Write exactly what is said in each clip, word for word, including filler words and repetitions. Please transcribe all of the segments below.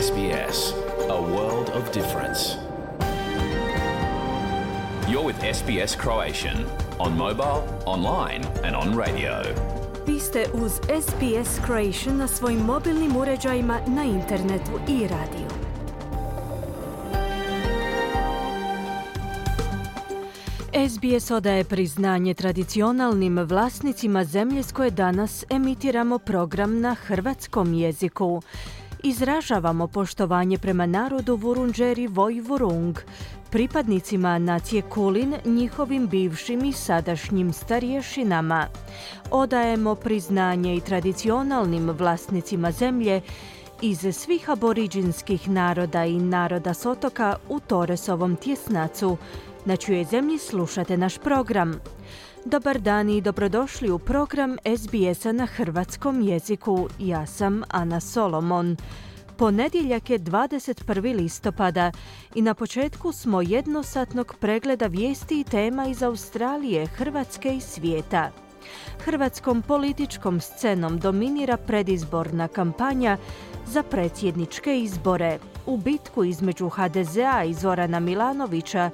S B S, a world of difference. You're with S B S Croatian on mobile, online and on radio. Vi ste uz S B S Croatian na svojim mobilnim uređajima, na internetu i radiju. S B S odaje priznanje tradicionalnim vlasnicima zemlje s koje danas emitiramo program na hrvatskom jeziku. Izražavamo poštovanje prema narodu Vurundjeri Woi Wurrung, pripadnicima nacije Kulin, njihovim bivšim i sadašnjim starješinama. Odajemo priznanje i tradicionalnim vlasnicima zemlje iz svih aboriđinskih naroda i naroda s otoka u Torresovom tjesnacu, na čijoj zemlji slušate naš program. Dobar dan i dobrodošli u program S B S-a na hrvatskom jeziku. Ja sam Ana Solomon. Ponedjeljak je dvadeset prvog listopada i na početku smo jednosatnog pregleda vijesti i tema iz Australije, Hrvatske i svijeta. Hrvatskom političkom scenom dominira predizborna kampanja za predsjedničke izbore. U bitku između H D Z-a i Zorana Milanovića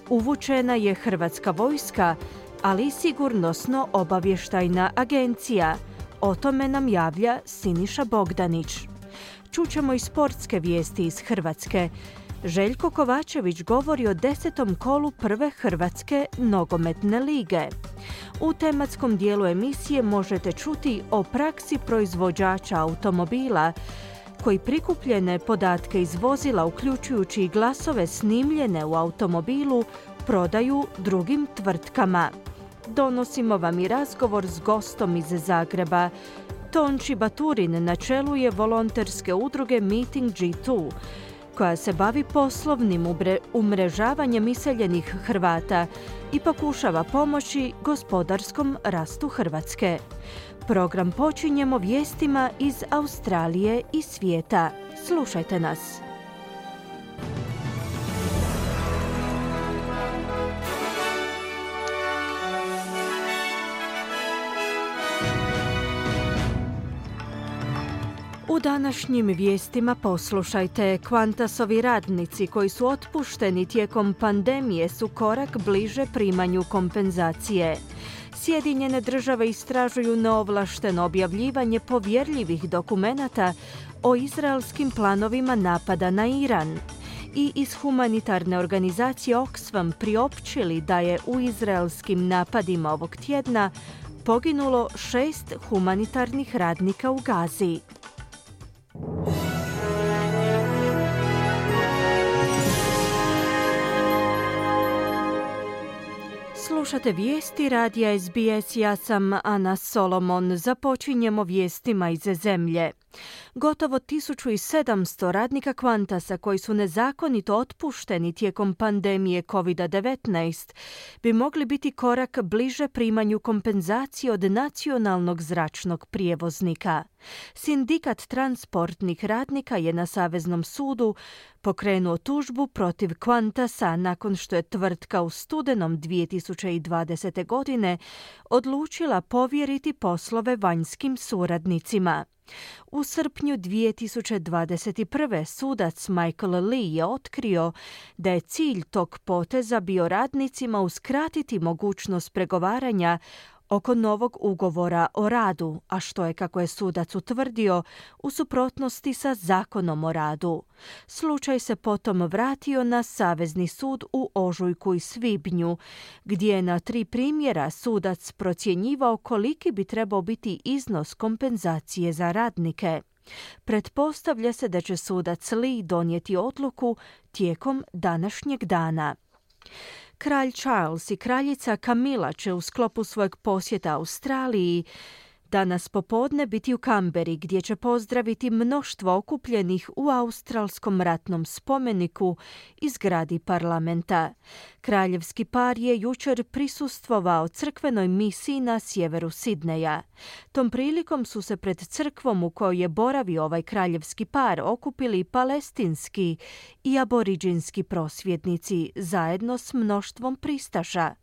uvučena je hrvatska vojska, ali i sigurnosno-obavještajna agencija. O tome nam javlja Siniša Bogdanić. Čućemo i sportske vijesti iz Hrvatske. Željko Kovačević govori o desetom kolu prve Hrvatske nogometne lige. U tematskom dijelu emisije možete čuti o praksi proizvođača automobila koji prikupljene podatke iz vozila, uključujući i glasove snimljene u automobilu, prodaju drugim tvrtkama. Donosimo vam i razgovor s gostom iz Zagreba. Tonči Baturin na čelu je volonterske udruge Meeting G dva, koja se bavi poslovnim umrežavanjem iseljenih Hrvata i pokušava pomoći gospodarskom rastu Hrvatske. Program počinjemo vijestima iz Australije i svijeta. Slušajte nas. U današnjim vijestima poslušajte, Qantasovi radnici koji su otpušteni tijekom pandemije su korak bliže primanju kompenzacije. Sjedinjene države istražuju neovlašteno objavljivanje povjerljivih dokumenata o izraelskim planovima napada na Iran. I iz humanitarne organizacije Oxfam priopćili da je u izraelskim napadima ovog tjedna poginulo šest humanitarnih radnika u Gazi. Slušate vijesti radija S B S, ja sam Ana Solomon. Započinjemo vijestima iz zemlje. Gotovo tisuću sedamsto radnika Qantasa koji su nezakonito otpušteni tijekom pandemije covid devetnaest bi mogli biti korak bliže primanju kompenzacije od nacionalnog zračnog prijevoznika. Sindikat transportnih radnika je na Saveznom sudu pokrenuo tužbu protiv Qantasa nakon što je tvrtka u studenom dvije tisuće dvadesete. godine odlučila povjeriti poslove vanjskim suradnicima. U srpnju dvije tisuće dvadeset prve. sudac Michael Lee je otkrio da je cilj tog poteza bio radnicima uskratiti mogućnost pregovaranja oko novog ugovora o radu, a što je, kako je sudac utvrdio, u suprotnosti sa Zakonom o radu. Slučaj se potom vratio na Savezni sud u ožujku i svibnju, gdje je na tri primjera sudac procjenjivao koliki bi trebao biti iznos kompenzacije za radnike. Pretpostavlja se da će sudac Lee donijeti odluku tijekom današnjeg dana. Kralj Charles i kraljica Camilla će u sklopu svojeg posjeta Australiji danas popodne biti u Kamberi, gdje će pozdraviti mnoštvo okupljenih u australskom ratnom spomeniku i zgradi parlamenta. Kraljevski par je jučer prisustvovao crkvenoj misiji na sjeveru Sidneja. Tom prilikom su se pred crkvom u kojoj je boravio ovaj kraljevski par okupili palestinski i aboriđinski prosvjednici zajedno s mnoštvom pristaša.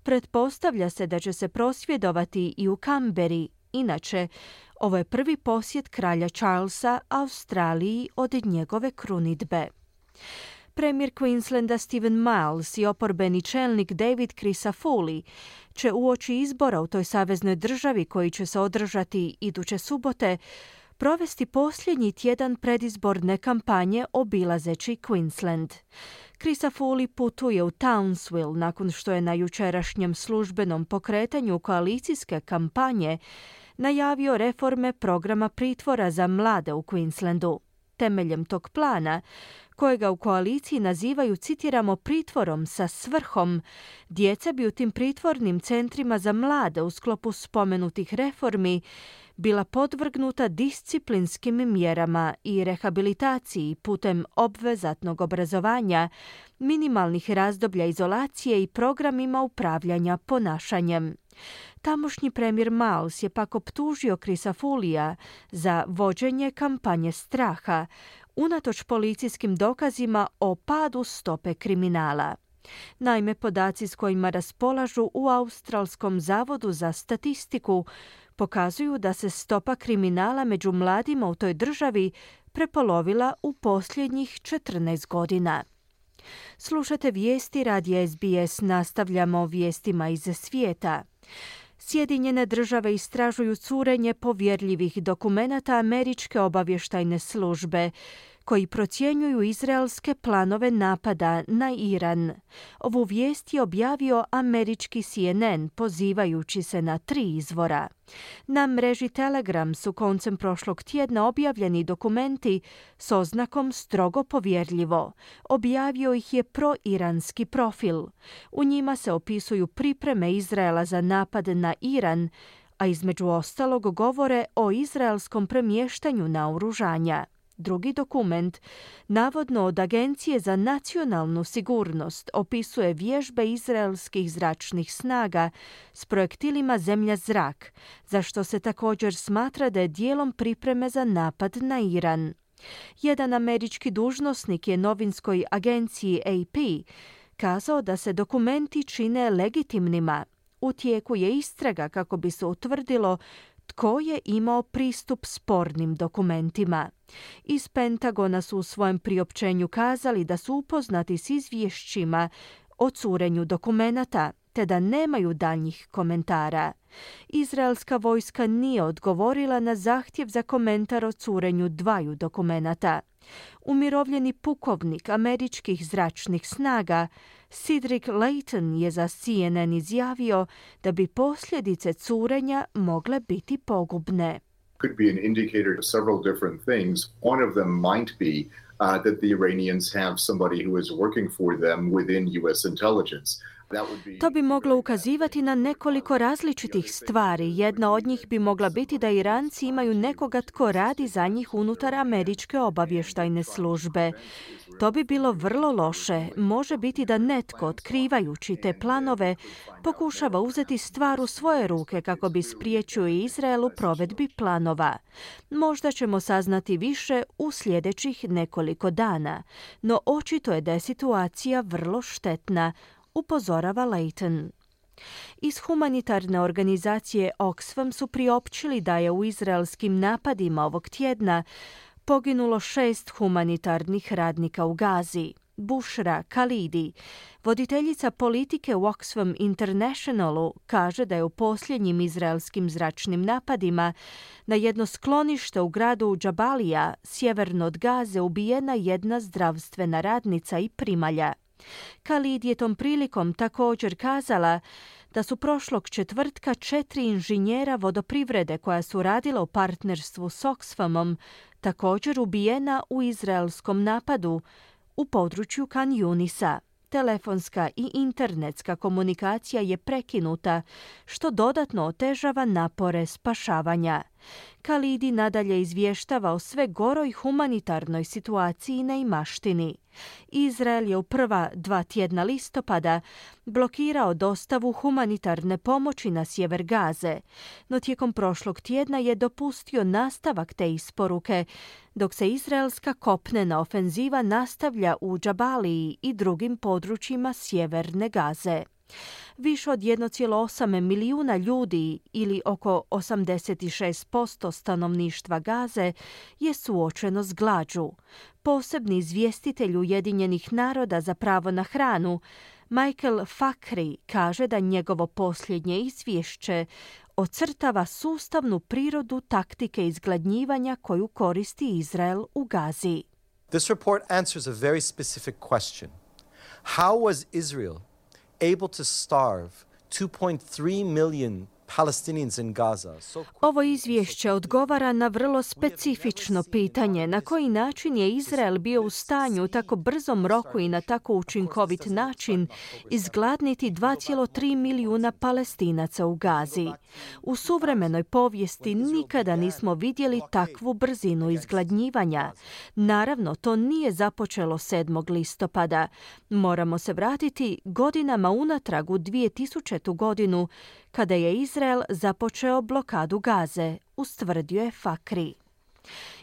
Pretpostavlja se da će se prosvjedovati i u Kamberi. Inače, Ovo je prvi posjet kralja Charlesa Australiji od njegove krunidbe. Premijer Queenslanda Stephen Miles i oporbeni čelnik David Crisafulli će uoči izbora u toj saveznoj državi koji će se održati iduće subote provesti posljednji tjedan predizborne kampanje obilazeći Queensland. Crisafulli putuje u Townsville nakon što je na jučerašnjem službenom pokretanju koalicijske kampanje najavio reforme programa pritvora za mlade u Queenslandu. Temeljem tog plana, kojega u koaliciji nazivaju, citiramo, pritvorom sa svrhom, djeca bi u tim pritvornim centrima za mlade u sklopu spomenutih reformi bila podvrgnuta disciplinskim mjerama i rehabilitaciji putem obvezatnog obrazovanja, minimalnih razdoblja izolacije i programima upravljanja ponašanjem. Tamošnji premijer Miles je pak optužio Crisafullija za vođenje kampanje straha, unatoč policijskim dokazima o padu stope kriminala. Naime, podaci s kojima raspolažu u Australskom zavodu za statistiku pokazuju da se stopa kriminala među mladima u toj državi prepolovila u posljednjih četrnaest godina. Slušate vijesti radija S B S, nastavljamo vijestima iz svijeta. Sjedinjene države istražuju curenje povjerljivih dokumenata američke obavještajne službe, koji procjenjuju izraelske planove napada na Iran. Ovu vijest je objavio američki C N N pozivajući se na tri izvora. Na mreži Telegram su koncem prošlog tjedna objavljeni dokumenti s oznakom strogo povjerljivo. Objavio ih je proiranski profil. U njima se opisuju pripreme Izraela za napad na Iran, a između ostalog govore o izraelskom premještanju naoružanja. Drugi dokument, navodno od Agencije za nacionalnu sigurnost, opisuje vježbe izraelskih zračnih snaga s projektilima zemlja-zrak, za što se također smatra da je dijelom pripreme za napad na Iran. Jedan američki dužnosnik je novinskoj agenciji A P kazao da se dokumenti čine legitimnima. U tijeku je istraga kako bi se utvrdilo tko je imao pristup spornim dokumentima. Iz Pentagona su u svojem priopćenju kazali da su upoznati s izvješćima o curenju dokumenata, te da nemaju daljnjih komentara. Izraelska vojska nije odgovorila na zahtjev za komentar o curenju dvaju dokumenata. Umirovljeni pukovnik američkih zračnih snaga Cedric Layton je za C N N izjavio da bi posljedice curenja mogle biti pogubne. Could be an indicator of several different things. One of them might be uh, that the Iranians have somebody who is working for them within U S intelligence. To bi moglo ukazivati na nekoliko različitih stvari. Jedna od njih bi mogla biti da Iranci imaju nekoga tko radi za njih unutar američke obavještajne službe. To bi bilo vrlo loše. Može biti da netko, otkrivajući te planove, pokušava uzeti stvar u svoje ruke kako bi spriječio Izrael u provedbi planova. Možda ćemo saznati više u sljedećih nekoliko dana, no očito je da je situacija vrlo štetna, upozorava Layton. Iz humanitarne organizacije Oxfam su priopćili da je u izraelskim napadima ovog tjedna poginulo šest humanitarnih radnika u Gazi. Bushra Khalidi, voditeljica politike u Oxfam Internationalu, kaže da je u posljednjim izraelskim zračnim napadima na jedno sklonište u gradu Jabalija, sjeverno od Gaze, ubijena jedna zdravstvena radnica i primalja. Khalid je tom prilikom također kazala da su prošlog četvrtka četiri inženjera vodoprivrede koja su radila u partnerstvu s Oxfamom također ubijena u izraelskom napadu u području Khan Yunisa. Telefonska i internetska komunikacija je prekinuta, što dodatno otežava napore spašavanja. Khalidi nadalje izvještava o sve goroj humanitarnoj situaciji i neimaštini. Izrael je u prva dva tjedna listopada blokirao dostavu humanitarne pomoći na sjever Gaze, no tijekom prošlog tjedna je dopustio nastavak te isporuke, dok se izraelska kopnena ofenziva nastavlja u Džabaliji i drugim područjima sjeverne Gaze. Više od jedan zarez osam milijuna ljudi ili oko osamdeset šest posto stanovništva Gaze je suočeno s glađu. Posebni izvjestitelj Ujedinjenih naroda za pravo na hranu, Michael Fakhri, kaže da njegovo posljednje izvješće ocrtava sustavnu prirodu taktike izgladnjivanja koju koristi Izrael u Gazi. This report answers a very specific question. How was Israel able to starve two point three million Palestinians in Gaza? Ovo izvješće odgovara na vrlo specifično pitanje na koji način je Izrael bio u stanju u tako brzom roku i na tako učinkovit način izgladniti dva zarez tri milijuna Palestinaca u Gazi. U suvremenoj povijesti nikada nismo vidjeli takvu brzinu izgladnjivanja. Naravno, to nije započelo sedmog listopada. Moramo se vratiti godinama unatrag u dvije tisuću. godinu, kada je Izrael započeo blokadu Gaze, ustvrdio je Fakhri.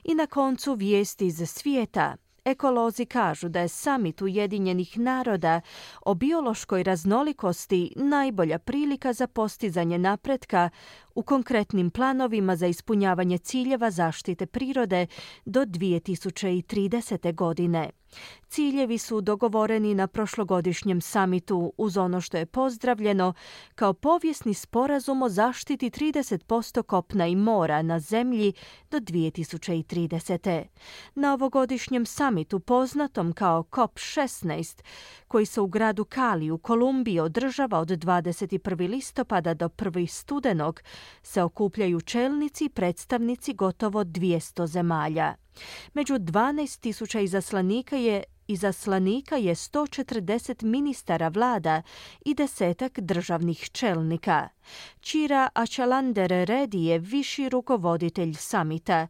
I na koncu vijesti iz svijeta. Ekolozi kažu da je samit Ujedinjenih naroda o biološkoj raznolikosti najbolja prilika za postizanje napretka u konkretnim planovima za ispunjavanje ciljeva zaštite prirode do dvije tisuće tridesete. godine. Ciljevi su dogovoreni na prošlogodišnjem samitu uz ono što je pozdravljeno kao povijesni sporazum o zaštiti trideset posto kopna i mora na zemlji do dvije tisuće tridesete. Na ovogodišnjem samitu poznatom kao kop šesnaest, koji se u gradu Cali u Kolumbiji održava od dvadeset prvog listopada do prvog studenog, se okupljaju čelnici i predstavnici gotovo dvjesto zemalja. Među dvanaest tisuća izaslanika je Izaslanika je sto četrdeset ministara vlada i desetak državnih čelnika. Chira Achalander Reddy je viši rukovoditelj samita.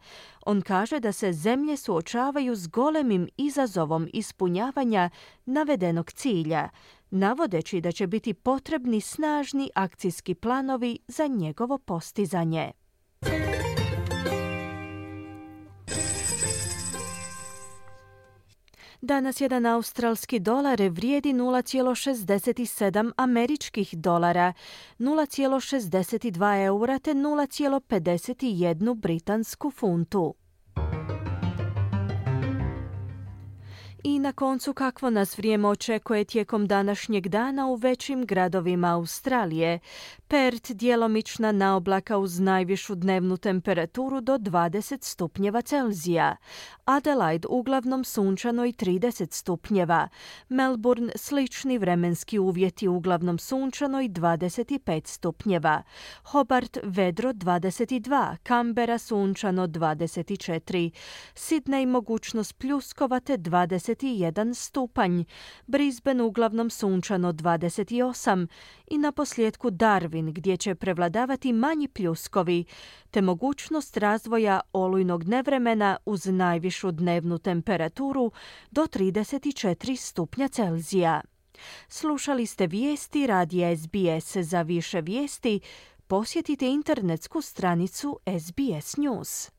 On kaže da se zemlje suočavaju s golemim izazovom ispunjavanja navedenog cilja, navodeći da će biti potrebni snažni akcijski planovi za njegovo postizanje. Danas jedan australski dolar vrijedi nula zarez šezdeset sedam američkih dolara, nula zarez šezdeset dva eura te nula zarez pedeset jedan britansku funtu. I na koncu kakvo nas vrijeme očekuje tijekom današnjeg dana u većim gradovima Australije. Perth djelomična naoblaka uz najvišu dnevnu temperaturu do dvadeset stupnjeva Celzija. Adelaide uglavnom sunčano i trideset stupnjeva. Melbourne slični vremenski uvjeti uglavnom sunčano i dvadeset pet stupnjeva. Hobart vedro dvadeset dva, Canberra sunčano dvadeset četiri. Sydney mogućnost pljuskova te dvadeset jedan stupanj, Brisbane uglavnom sunčano dvadeset osam i na posljedku Darwin gdje će prevladavati manji pljuskovi te mogućnost razvoja olujnog nevremena uz najvišu dnevnu temperaturu do trideset četiri stupnja Celzija. Slušali ste vijesti radija S B S. Za više vijesti posjetite internetsku stranicu S B S News.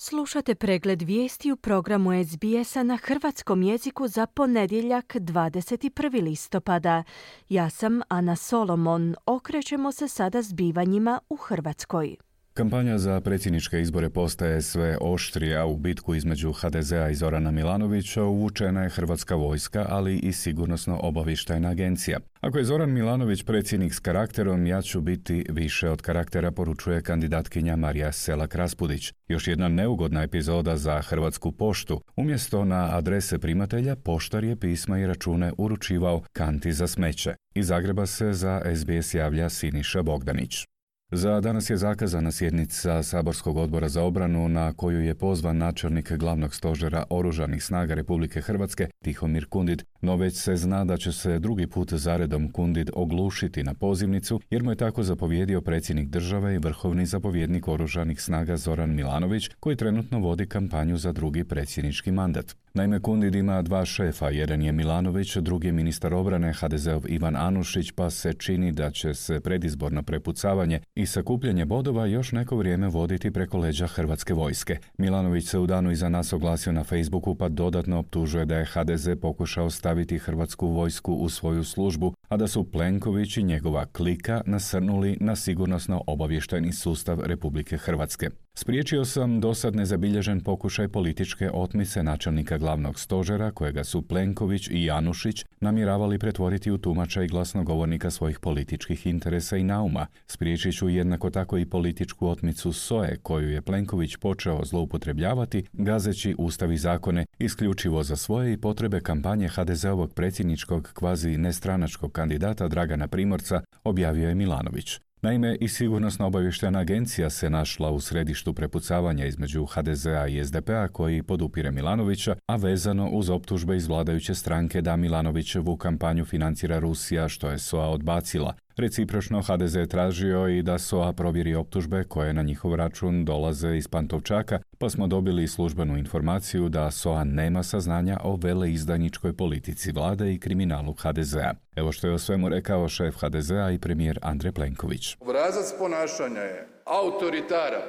Slušate pregled vijesti u programu S B S-a na hrvatskom jeziku za ponedjeljak dvadeset prvog listopada. Ja sam Ana Solomon. Okrećemo se sada zbivanjima u Hrvatskoj. Kampanja za predsjedničke izbore postaje sve oštrija. U bitku između H D Z-a i Zorana Milanovića uvučena je hrvatska vojska, ali i sigurnosno-obavještajna agencija. Ako je Zoran Milanović predsjednik s karakterom, ja ću biti više od karaktera, poručuje kandidatkinja Marija Selak-Raspudić. Još jedna neugodna epizoda za Hrvatsku poštu. Umjesto na adrese primatelja, poštar je pisma i račune uručivao kanti za smeće. Iz Zagreba se za S B S javlja Siniša Bogdanić. Za danas je zakazana sjednica Saborskog odbora za obranu na koju je pozvan načelnik glavnog stožera Oružanih snaga Republike Hrvatske Tihomir Kundit, no već se zna da će se drugi put zaredom Kundit oglušiti na pozivnicu jer mu je tako zapovjedio predsjednik države i vrhovni zapovjednik Oružanih snaga Zoran Milanović, koji trenutno vodi kampanju za drugi predsjednički mandat. Naime, Kundid ima dva šefa, jedan je Milanović, drugi je ministar obrane ha de zeov Ivan Anušić, pa se čini da će se predizborno prepucavanje i sakupljanje bodova još neko vrijeme voditi preko leđa hrvatske vojske. Milanović se u danu iza nas oglasio na Facebooku pa dodatno optužuje da je ha de ze pokušao staviti hrvatsku vojsku u svoju službu, a da su Plenković i njegova klika nasrnuli na sigurnosno-obavještajni sustav Republike Hrvatske. Spriječio sam dosad nezabilježen pokušaj političke otmice načelnika glavnog stožera, kojega su Plenković i Anušić namjeravali pretvoriti u tumača i glasnogovornika svojih političkih interesa i nauma. Spriječit ću jednako tako i političku otmicu S O E, koju je Plenković počeo zloupotrebljavati, gazeći ustav i zakone isključivo za svoje i potrebe kampanje ha de zeovog predsjedničkog kvazi nestranačkog kandidata Dragana Primorca, objavio je Milanović. Naime, i sigurnosno-obavještajna agencija se našla u središtu prepucavanja između ha de zea i es de pe a koji podupire Milanovića, a vezano uz optužbe iz vladajuće stranke da Milanovićevu kampanju financira Rusija, što je S O A odbacila. Recipročno ha de ze tražio i da S O A provjeri optužbe koje na njihov račun dolaze iz Pantovčaka, pa smo dobili službenu informaciju da S O A nema saznanja o veleizdajničkoj politici vlade i kriminalu ha de zea. Evo što je o svemu rekao šef ha de zea i premijer Andrej Plenković. Obrazac ponašanja je autoritaran,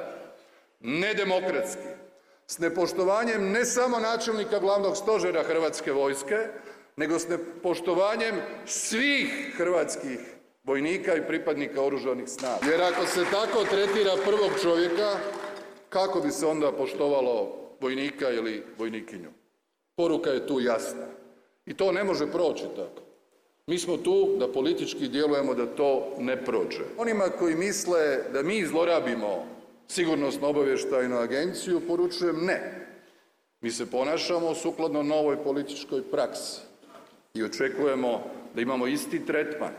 nedemokratski, s nepoštovanjem ne samo načelnika glavnog stožera Hrvatske vojske, nego s nepoštovanjem svih hrvatskih vojnika i pripadnika oružanih snaga. Jer ako se tako tretira prvog čovjeka, kako bi se onda poštovalo vojnika ili vojnikinju? Poruka je tu jasna. I to ne može proći tako. Mi smo tu da politički djelujemo da to ne prođe. Onima koji misle da mi zlorabimo sigurnosno-obavještajnu agenciju, poručujem ne. Mi se ponašamo sukladno novoj političkoj praksi i očekujemo da imamo isti tretman,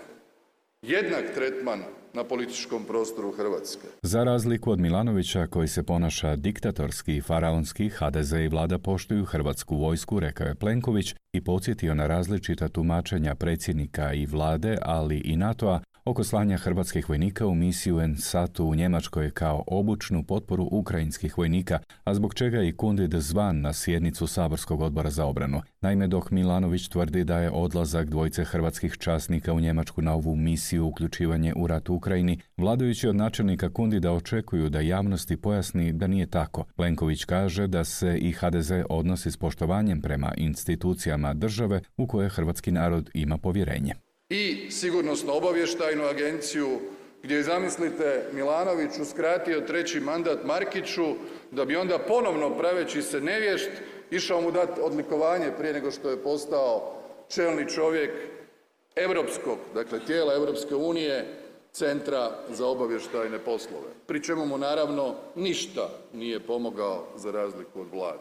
jednak tretman na političkom prostoru Hrvatske. Za razliku od Milanovića, koji se ponaša diktatorski i faraonski, ha de ze i vlada poštuju hrvatsku vojsku, rekao je Plenković i podsjetio na različita tumačenja predsjednika i vlade, ali i NATO-a oko slanja hrvatskih vojnika u misiju en satu u Njemačkoj kao obučnu potporu ukrajinskih vojnika, a zbog čega je i Kundid zvan na sjednicu Saborskog odbora za obranu. Naime, dok Milanović tvrdi da je odlazak dvojice hrvatskih časnika u Njemačku na ovu misiju uključivanje u rat u Ukrajini, vladajući od načelnika Kundida očekuju da javnosti pojasni da nije tako. Plenković kaže da se i ha de ze odnosi s poštovanjem prema institucijama države u koje hrvatski narod ima povjerenje. I sigurnosno-obavještajnu agenciju, gdje je, zamislite, Milanović uskratio treći mandat Markiću, da bi onda ponovno, praveći se nevješt, išao mu dati odlikovanje prije nego što je postao čelni čovjek europskog, dakle tijela Europske unije, Centra za obavještajne poslove. Pri čemu mu naravno ništa nije pomogao za razliku od vlade.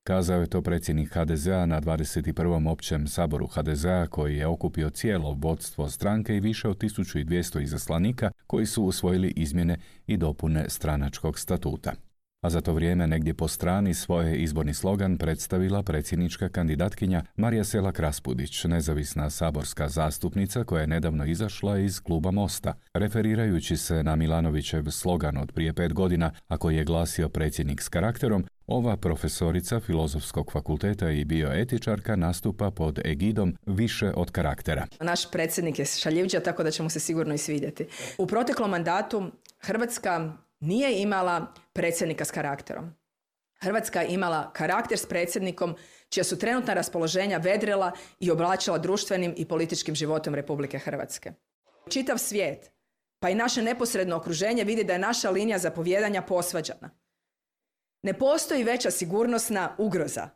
Kazao je to predsjednik ha de zea na dvadeset prvom općem saboru ha de zea koji je okupio cijelo vodstvo stranke i više od tisuću dvjesto izaslanika koji su usvojili izmjene i dopune stranačkog statuta. A za to vrijeme negdje po strani svoje izborni slogan predstavila predsjednička kandidatkinja Marija Selak-Raspudić, nezavisna saborska zastupnica koja je nedavno izašla iz kluba Mosta. Referirajući se na Milanovićev slogan od prije pet godina, a koji je glasio predsjednik s karakterom, ova profesorica Filozofskog fakulteta i bioetičarka nastupa pod egidom više od karaktera. Naš predsjednik je šaljivđa, tako da će mu se sigurno i svidjeti. U proteklom mandatu Hrvatska nije imala predsjednika s karakterom. Hrvatska je imala karakter s predsjednikom čija su trenutna raspoloženja vedrila i oblačila društvenim i političkim životom Republike Hrvatske. Čitav svijet, pa i naše neposredno okruženje vidi da je naša linija zapovijedanja posvađana. Ne postoji veća sigurnosna ugroza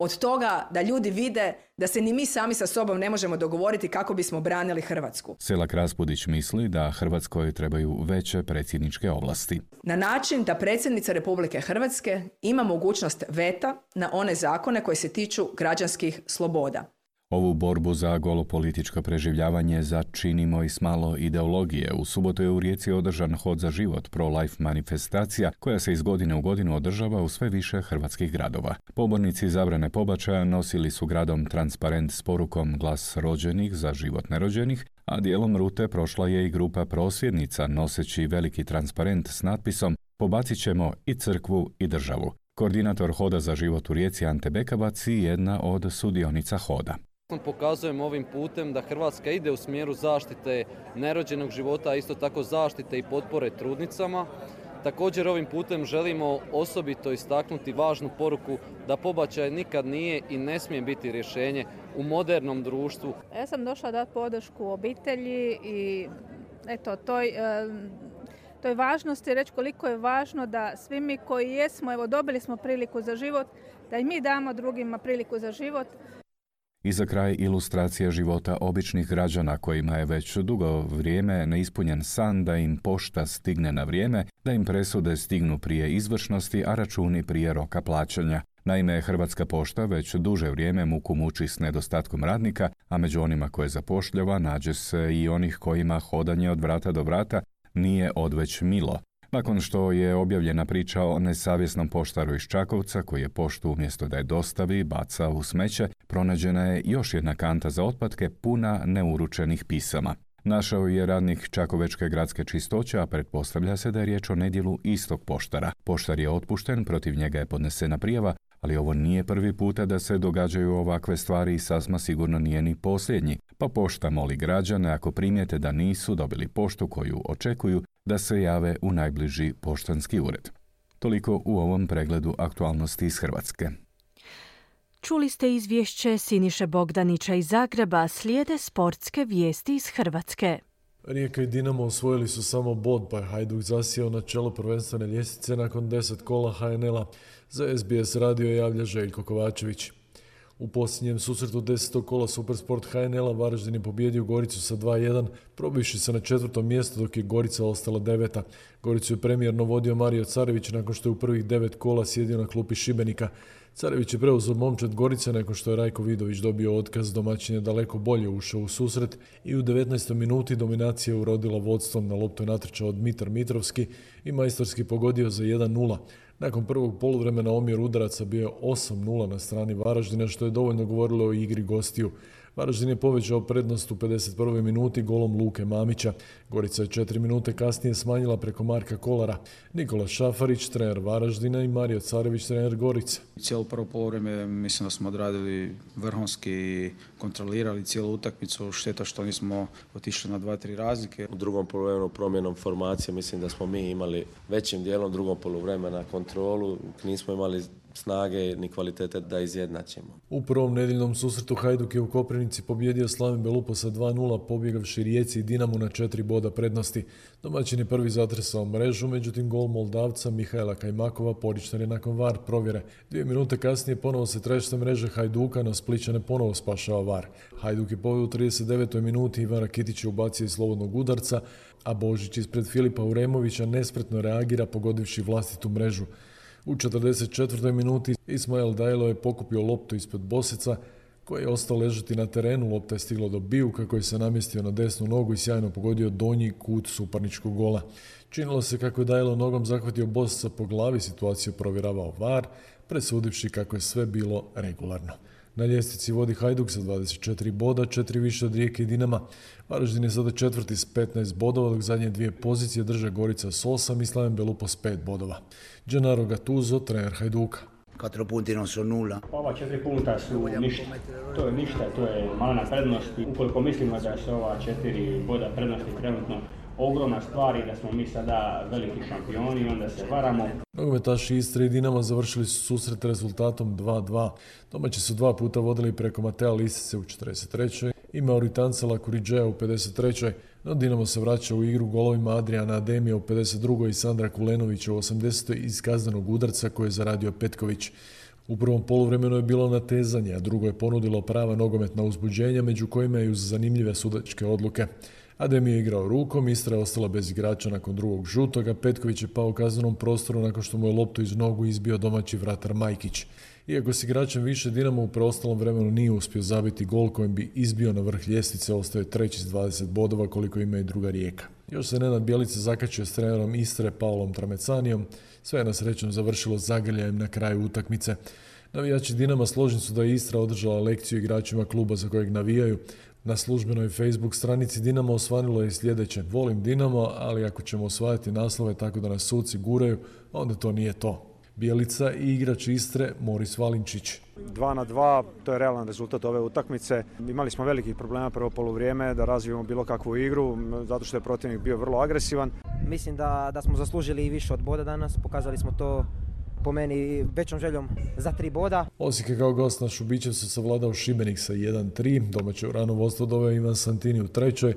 od toga da ljudi vide da se ni mi sami sa sobom ne možemo dogovoriti kako bismo branili Hrvatsku. Selak-Raspudić misli da Hrvatskoj trebaju veće predsjedničke ovlasti. Na način da predsjednica Republike Hrvatske ima mogućnost veta na one zakone koji se tiču građanskih sloboda. Ovu borbu za golo političko preživljavanje začinimo i s malo ideologije. U subotu je u Rijeci održan Hod za život, pro-life manifestacija, koja se iz godine u godinu održava u sve više hrvatskih gradova. Pobornici zabrane pobačaja nosili su gradom transparent s porukom Glas rođenih za život nerođenih, a dijelom rute prošla je i grupa prosvjednica noseći veliki transparent s natpisom Pobacit ćemo i crkvu i državu. Koordinator Hoda za život u Rijeci Ante Bekabac i jedna od sudionica hoda. Pokazujemo ovim putem da Hrvatska ide u smjeru zaštite nerođenog života, a isto tako zaštite i potpore trudnicama. Također ovim putem želimo osobito istaknuti važnu poruku da pobačaj nikad nije i ne smije biti rješenje u modernom društvu. Ja sam došla dati podršku obitelji i eto, toj, toj važnosti reći koliko je važno da svi mi koji jesmo, evo dobili smo priliku za život, da i mi damo drugima priliku za život. I za kraj ilustracija života običnih građana kojima je već dugo vrijeme neispunjen san da im pošta stigne na vrijeme, da im presude stignu prije izvršnosti, a računi prije roka plaćanja. Naime, Hrvatska pošta već duže vrijeme muku muči s nedostatkom radnika, a među onima koje zapošljava nađe se i onih kojima hodanje od vrata do vrata nije odveć milo. Nakon što je objavljena priča o nesavjesnom poštaru iz Čakovca koji je poštu umjesto da je dostavi baca u smeće, pronađena je još jedna kanta za otpadke puna neuručenih pisama. Našao je radnik Čakovečke gradske čistoće, a pretpostavlja se da je riječ o nedjelu istog poštara. Poštar je otpušten, protiv njega je podnesena prijava, ali ovo nije prvi puta da se događaju ovakve stvari i sasma sigurno nije ni posljednji. Pa pošta moli građane ako primijete da nisu dobili poštu koju očekuju, da se jave u najbliži poštanski ured. Toliko u ovom pregledu aktualnosti iz Hrvatske. Čuli ste izvješće Siniše Bogdanića iz Zagreba, slijede sportske vijesti iz Hrvatske. Rijeka i Dinamo osvojili su samo bod, pa je Hajduk zasijao na čelo prvenstvene ljestvice nakon deset kola ha en el-a. Za es be es radio javlja Željko Kovačević. U posljednjem susretu desetog kola Supersport ha en el-a Varaždin je pobijedio Goricu sa dva jedan, probivši se na četvrtom mjestu dok je Gorica ostala deveta. Goricu je premijerno vodio Mario Carević nakon što je u prvih devet kola sjedio na klupi Šibenika. Carević je preuzeo momčad Gorice nakon što je Rajko Vidović dobio otkaz, domaćin je daleko bolje ušao u susret i u devetnaestoj minuti dominacija je urodila vodstvom. Na loptu je natrčao Dmitar Mitrovski i majstorski pogodio za jedan nula. Nakon prvog poluvremena omjer udaraca bio je osam nula na strani Varaždina, što je dovoljno govorilo o igri gostiju. Varaždin je povećao prednost u pedeset prvoj minuti golom Luke Mamića. Gorica je četiri minute kasnije smanjila preko Marka Kolara. Nikola Šafarić, trener Varaždina, i Mario Carević, trener Gorice. Cijelo prvo poluvreme mislim da smo odradili vrhunski i kontrolirali cijelu utakmicu. Šteta što nismo otišli na dva tri razlike. U drugom poluvremenu promjenom formacije mislim da smo mi imali većim dijelom drugog poluvremena kontrolu. Nismo imali snage ni kvalitete da izjednačimo. U prvom nedjeljnom susretu Hajduk je u Koprivnici pobjedio Slaven Belupo sa dva nula, pobjegavši Rijeci i Dinamu na četiri boda prednosti. Domaćin je prvi zatresao mrežu, međutim gol Moldavca Mihajla Kajmakova poništen je nakon var provjere. Dvije minute kasnije ponovo se trešte mreže Hajduka, no Splićane ponovo spašava var. Hajduk je povedio u trideset devetoj minuti, Ivan Rakitić je ubacio iz slobodnog udarca, a Božić ispred Filipa Uremovića nespretno reagira pogodivši vlastitu mrežu. U četrdeset četvrtoj minuti Ismael Dajlo je pokupio loptu ispod Bosica, koji je ostao ležati na terenu. Lopta je stigla do Bijuka koji se namjestio na desnu nogu i sjajno pogodio donji kut suparničkog gola. Činilo se kako je Dajlo nogom zahvatio Bosica po glavi, situaciju provjeravao var, presudivši kako je sve bilo regularno. Na ljestvici vodi Hajduk sa dvadeset četiri boda, četiri više od Rijeke i Dinama. Varaždin je sada četvrti s petnaest bodova, dok zadnje dvije pozicije drže Gorica s osam i Slaven Belupo s pet bodova. Gennaro Gattuso, trener Hajduka. Quattro punti non sono nulla. Ova četiri punta su ništa. To je ništa, to je malena prednost. Ukoliko mislimo da se ova četiri boda prednosti trenutno ogromna stvar i da smo mi sada veliki šampioni, onda se varamo. Nogometaši Istre i Dinama završili su susret rezultatom dva dva. Domaći su dva puta vodili preko Matea Lisice u četrdeset trećoj i Mauritanca Lakuriđeja u pedeset trećoj No Dinamo se vraća u igru golovima Adriana Ademija u pedeset drugoj i Sandra Kulenovića u osamdesetoj iz kaznenog udarca koje je zaradio Petković. U prvom poluvremenu je bilo natezanje, a drugo je ponudilo prava nogometna uzbuđenja, među kojima je uz zanimljive sudačke odluke. Adem je igrao rukom, Istra je ostala bez igrača nakon drugog žutoga, Petković je pao u kaznenom prostoru nakon što mu je loptu iz nogu izbio domaći vratar Majkić. Iako s igračem više, Dinamo u preostalom vremenu nije uspio zabiti gol kojim bi izbio na vrh ljestvice, ostaje treći s dvadeset bodova koliko ima i druga Rijeka. Još se Nenad Bjelica zakačio s trenerom Istre Paolom Tramecanijom, sve je na srećom završilo zagrljajem na kraju utakmice. Navijači Dinama složni su da je Istra održala lekciju igračima kluba za kojeg navijaju. Na službenoj Facebook stranici Dinamo osvanilo je sljedeće: volim Dinamo, ali ako ćemo osvajati naslove tako da nas suci guraju, onda to nije to. Bjelica i igrač Istre Moris Valinčić. Dva na dva, to je realan rezultat ove utakmice. Imali smo velikih problema prvo poluvrijeme da razvijemo bilo kakvu igru, zato što je protivnik bio vrlo agresivan. Mislim da, da smo zaslužili i više od boda danas, pokazali smo to po meni većom željom za tri boda. Osijek je kao gost na Šubićevcu savladao Šibenik sa jedan tri, domaće u rano vodstvo doveo Ivan Santini u trećoj,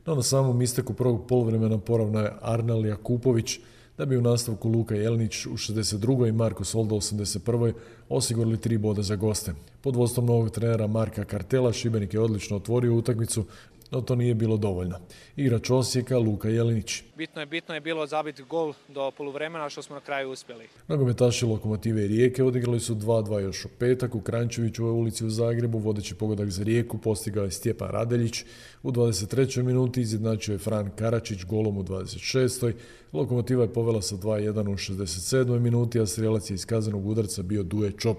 no na samom isteku prvog poluvremena poravnao je Arnel Jakupović, da bi u nastavku Luka Jelenić u šezdeset drugoj i Marko Soldo u osamdeset prvoj osigurali tri boda za goste. Pod vodstvom novog trenera Marka Kartela Šibenik je odlično otvorio utakmicu, no to nije bilo dovoljno. Igrač Osijeka Luka Jelenić. Bitno je, bitno je bilo zabiti gol do poluvremena, što smo na kraju uspjeli. Nogometaši Lokomotive i Rijeke odigrali su dva dva još u petak u Kranjčevićevoj ulici u Zagrebu. Vodeći pogodak za Rijeku postigao je Stjepan Radeljić. U dvadeset trećoj minuti izjednačio je Fran Karačić golom u dvadeset šestoj Lokomotiva je povela sa dva jedan u šezdeset sedmoj minuti, a strijelac je iz kaznenog udarca bio Duje Čop.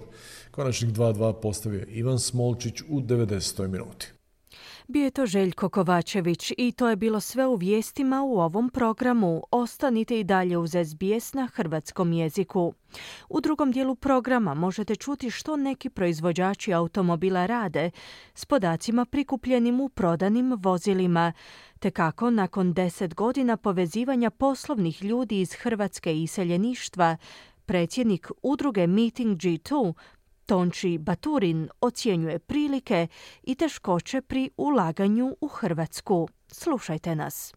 Konačnik dva dva postavio je Ivan Smolčić u devedesetoj minuti. Bio je to Željko Kovačević i to je bilo sve u vijestima u ovom programu. Ostanite i dalje uz S B S na hrvatskom jeziku. U drugom dijelu programa možete čuti što neki proizvođači automobila rade s podacima prikupljenim u prodanim vozilima, te kako nakon deset godina povezivanja poslovnih ljudi iz Hrvatske i iseljeništva, predsjednik udruge Meeting G dva Tonči Baturin ocjenjuje prilike i teškoće pri ulaganju u Hrvatsku. Slušajte nas.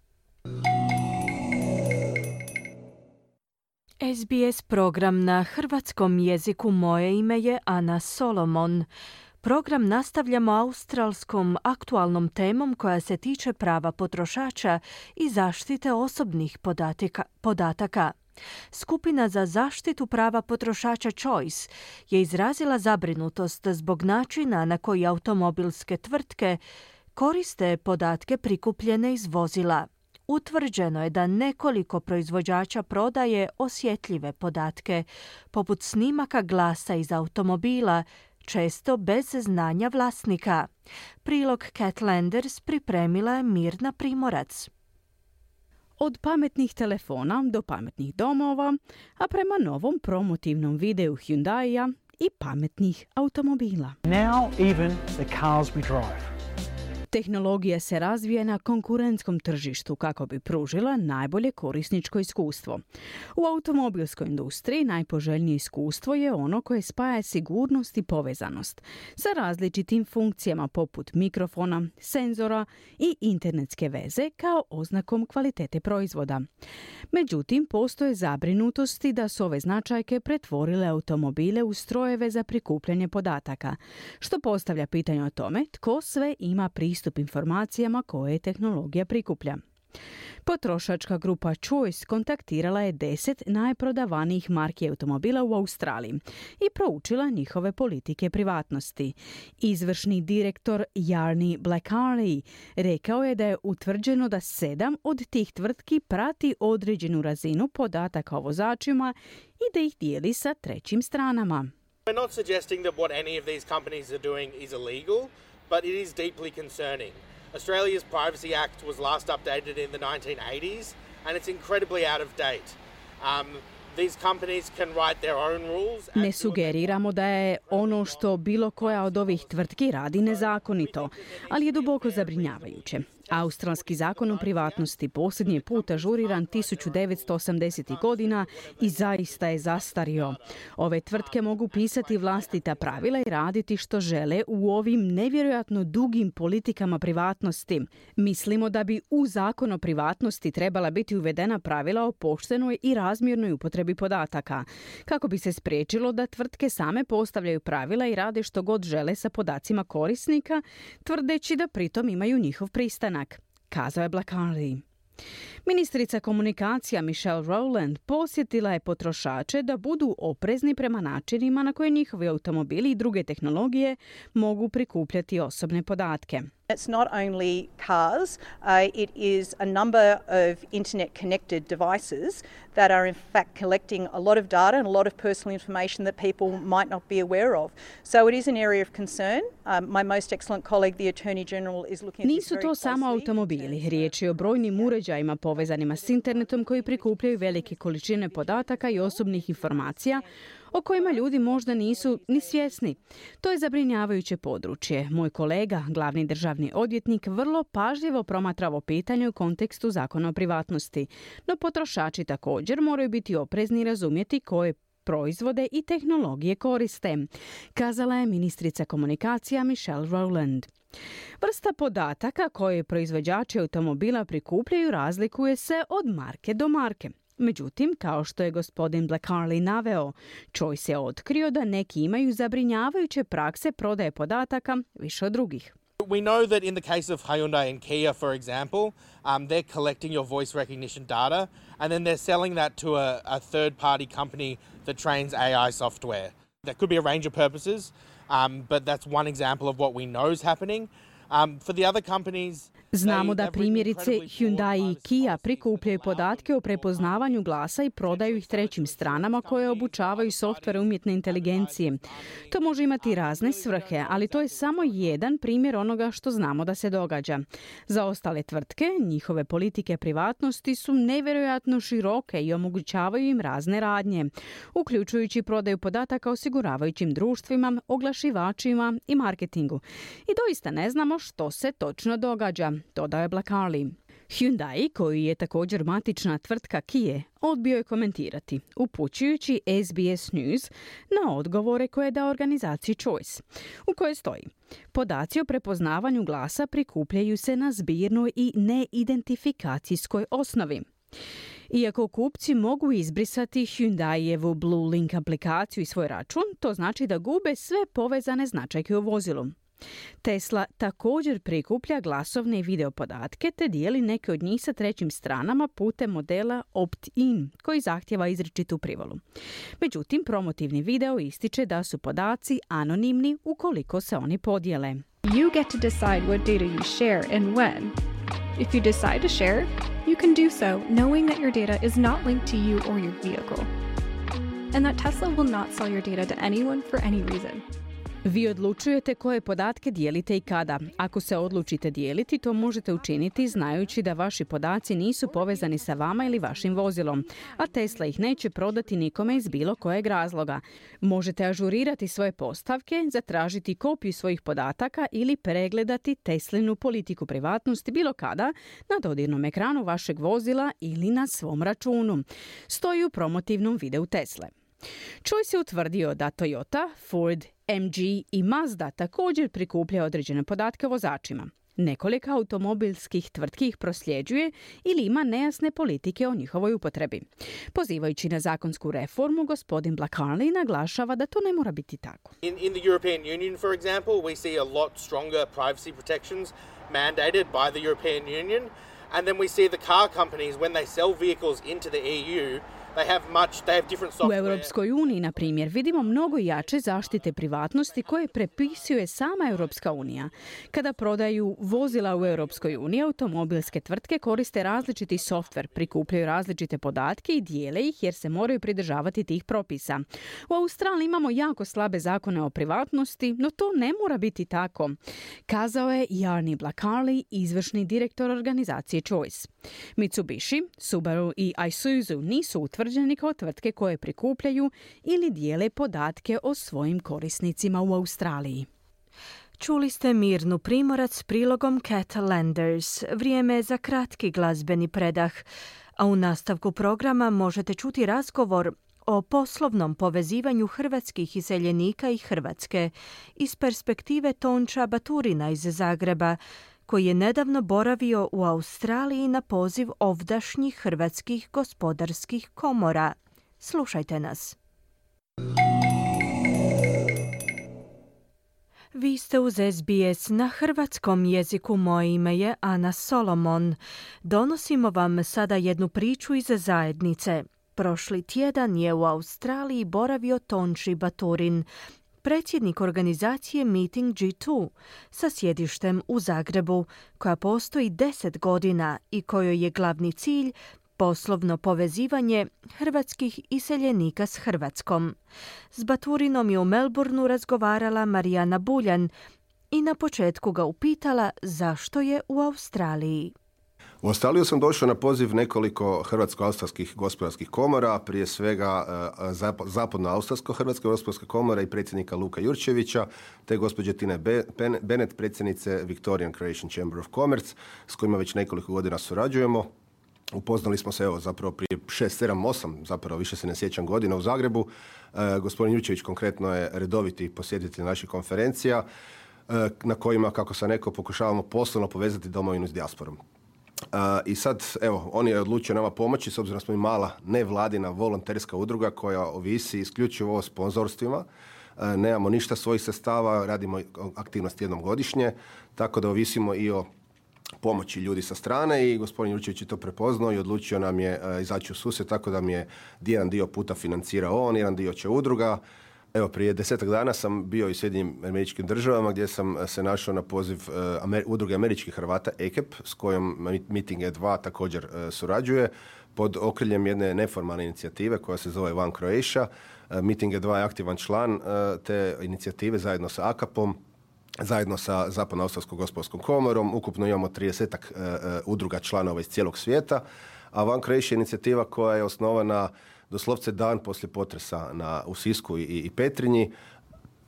S B S program na hrvatskom jeziku. Moje ime je Ana Solomon. Program nastavljamo australskom aktualnom temom koja se tiče prava potrošača i zaštite osobnih podatika, podataka. Skupina za zaštitu prava potrošača Choice je izrazila zabrinutost zbog načina na koji automobilske tvrtke koriste podatke prikupljene iz vozila. Utvrđeno je da nekoliko proizvođača prodaje osjetljive podatke, poput snimaka glasa iz automobila, često bez znanja vlasnika. Prilog Cat Landers pripremila je Mirna Primorac. Od pametnih telefona do pametnih domova, a prema novom promotivnom videu Hyundaia i pametnih automobila. Now even the cars we drive. Tehnologija se razvija na konkurentskom tržištu kako bi pružila najbolje korisničko iskustvo. U automobilskoj industriji najpoželjnije iskustvo je ono koje spaja sigurnost i povezanost sa različitim funkcijama poput mikrofona, senzora i internetske veze kao oznakom kvalitete proizvoda. Međutim, postoje zabrinutosti da su ove značajke pretvorile automobile u strojeve za prikupljanje podataka, što postavlja pitanje o tome tko sve ima pristup pristup informacijama koje tehnologija prikuplja. Potrošačka grupa Choice kontaktirala je deset najprodavanijih marki automobila u Australiji i proučila njihove politike privatnosti. Izvršni direktor Jarni Blackarley rekao je da je utvrđeno da sedam od tih tvrtki prati određenu razinu podataka o vozačima i da ih dijeli sa trećim stranama. We're not suggesting that what any of these companies are doing is illegal, but it is deeply concerning. Australia's Privacy Act was last updated in the nineteen eighties, and it's incredibly out of date. Um, these companies can write their own rules. Ne sugeriramo da je ono što bilo koja od ovih tvrtki radi nezakonito, ali je duboko zabrinjavajuće. Australski zakon o privatnosti posljednji put ažuriran tisuću devetsto osamdesetih godina i zaista je zastario. Ove tvrtke mogu pisati vlastita pravila i raditi što žele u ovim nevjerojatno dugim politikama privatnosti. Mislimo da bi u zakon o privatnosti trebala biti uvedena pravila o poštenoj i razmjernoj upotrebi podataka, kako bi se spriječilo da tvrtke same postavljaju pravila i rade što god žele sa podacima korisnika, tvrdeći da pritom imaju njihov pristanak, kazao je Blackarley. Ministrica komunikacija Michelle Rowland posjetila je potrošače da budu oprezni prema načinima na koje njihovi automobili i druge tehnologije mogu prikupljati osobne podatke. It's not only cars, uh, it is a number of internet-connected devices that are in fact collecting a lot of data and a lot of personal information that people might not be aware of. So it is an area of concern. Um, my most excellent colleague, the Attorney General, is looking at this Nisu very to samo closely. automobili, riječ je o brojnim uređajima povezanima s internetom koji prikupljaju velike količine podataka i osobnih informacija o kojima ljudi možda nisu ni svjesni. To je zabrinjavajuće područje. Moj kolega, glavni državni odvjetnik, vrlo pažljivo promatra ovo pitanje u kontekstu zakona o privatnosti. No potrošači također moraju biti oprezni i razumjeti koje proizvode i tehnologije koriste, kazala je ministrica komunikacija Michelle Rowland. Vrsta podataka koje proizvođači automobila prikupljaju razlikuje se od marke do marke. Međutim, kao što je gospodin Black-Harley naveo, Choice je otkrio da neki imaju zabrinjavajuće prakse prodaje podataka više od drugih. We know that in the case of Hyundai and Kia, for example, um, they're collecting your voice recognition data and then they're selling that to a, a third-party company that trains A I software. That could be a range of purposes, um, but that's one example of what we know is happening. Um, for the other companies, Znamo da primjerice Hyundai i Kia prikupljaju podatke o prepoznavanju glasa i prodaju ih trećim stranama koje obučavaju softvere umjetne inteligencije. To može imati razne svrhe, ali to je samo jedan primjer onoga što znamo da se događa. Za ostale tvrtke, njihove politike privatnosti su nevjerojatno široke i omogućavaju im razne radnje, uključujući prodaju podataka osiguravajućim društvima, oglašivačima i marketingu. I doista ne znamo što se točno događa, dodao je Black-Harley. Hyundai, koji je također matična tvrtka Kia, odbio je komentirati, upućujući S B S News na odgovore koje je dao organizaciji Choice, u kojoj stoji: podaci o prepoznavanju glasa prikupljaju se na zbirnoj i neidentifikacijskoj osnovi. Iako kupci mogu izbrisati Hyundaijevu Blue Link aplikaciju i svoj račun, to znači da gube sve povezane značajke u vozilu. Tesla također prikuplja glasovne i video podatke te dijeli neke od njih sa trećim stranama putem modela opt-in, koji zahtjeva izričitu privolu. Međutim, promotivni video ističe da su podaci anonimni ukoliko se oni podijele. You get to decide what data you share and when. If you decide to share, you can do so knowing that your data is not linked to you or your vehicle, and that Tesla will not sell your data to anyone for any reason. Vi odlučujete koje podatke dijelite i kada. Ako se odlučite dijeliti, to možete učiniti znajući da vaši podaci nisu povezani sa vama ili vašim vozilom, a Tesla ih neće prodati nikome iz bilo kojeg razloga. Možete ažurirati svoje postavke, zatražiti kopiju svojih podataka ili pregledati Teslinu politiku privatnosti bilo kada na dodirnom ekranu vašeg vozila ili na svom računu. Stoji u promotivnom videu Tesle. Choice je utvrdio da Toyota, Ford, M G i Mazda također prikuplja određene podatke o vozačima. Nekoliko automobilskih tvrtki ih prosljeđuje ili ima nejasne politike o njihovoj upotrebi. Pozivajući na zakonsku reformu, gospodin Black-Harley naglašava da to ne mora biti tako. In, in the European Union, for example, we see a lot stronger privacy protections mandated by the European Union, and then we see the car companies, when they sell vehicles into the E U, they have much, they have different software. U Europskoj uniji, na primjer, vidimo mnogo jače zaštite privatnosti koje prepisuje sama Europska unija. Kada prodaju vozila u Europskoj uniji, automobilske tvrtke koriste različiti softver, prikupljaju različite podatke i dijele ih jer se moraju pridržavati tih propisa. U Australiji imamo jako slabe zakone o privatnosti, no to ne mora biti tako, kazao je Jarni Black-Harley, izvršni direktor organizacije Choice. Mitsubishi, Subaru i Isuzu nisu utvrđeni kao tvrtke koje prikupljaju ili dijele podatke o svojim korisnicima u Australiji. Čuli ste Mirnu Primorac s prilogom Cat Landers. Vrijeme je za kratki glazbeni predah, a u nastavku programa možete čuti razgovor o poslovnom povezivanju hrvatskih iseljenika i Hrvatske iz perspektive Tonča Baturina iz Zagreba, koji je nedavno boravio u Australiji na poziv ovdašnjih hrvatskih gospodarskih komora. Slušajte nas. Vi ste uz S B S na hrvatskom jeziku. Moje ime je Ana Solomon. Donosimo vam sada jednu priču iz zajednice. Prošli tjedan je u Australiji boravio Tonči Baturin, predsjednik organizacije Meeting G dva sa sjedištem u Zagrebu, koja postoji deset godina i kojoj je glavni cilj poslovno povezivanje hrvatskih iseljenika s Hrvatskom. S Baturinom je u Melbourneu razgovarala Marijana Buljan i na početku ga upitala zašto je u Australiji. U Australiju sam došao na poziv nekoliko hrvatsko-australskih gospodarskih komora, prije svega Zapadno-australsko-hrvatske gospodarske komore i predsjednika Luka Jurčevića, te gospođe Tine Bennett, predsjednice Victorian Croatian Chamber of Commerce, s kojima već nekoliko godina surađujemo. Upoznali smo se evo zapravo prije šest, sedam, osam, zapravo više se ne sjećam godina u Zagrebu. E, gospodin Jurčević konkretno je redoviti posjetitelj naših konferencija e, na kojima, kako sam rekao, pokušavamo poslovno povezati domovinu s dijasporom. Uh, I sad, evo, on je odlučio nama pomoći, s obzirom da smo i mala nevladina volonterska udruga koja ovisi isključivo o sponzorstvima. Uh, nemamo ništa svojih sredstava, radimo aktivnosti jednom godišnje, tako da ovisimo i o pomoći ljudi sa strane i gospodin Jurčević je to prepoznao i odlučio nam je uh, izaći u susret, tako da mi je jedan dio puta financirao on, jedan dio će udruga. Evo, prije desetak dana sam bio i u Sjedinjenim Američkim Državama gdje sam se našao na poziv uh, Amer- udruge američkih Hrvata A K E P s kojom Meeting G dva također uh, surađuje pod okriljem jedne neformalne inicijative koja se zove One Croatia. Uh, Meeting G dva je aktivan član uh, te inicijative zajedno sa A K A P-om, zajedno sa Zapadno-australskom gospodarskom komorom. Ukupno imamo tridesetak uh, uh, udruga članova iz cijelog svijeta, a One Croatia je inicijativa koja je osnovana doslovce dan poslije potresa na, u Sisku i, i Petrinji.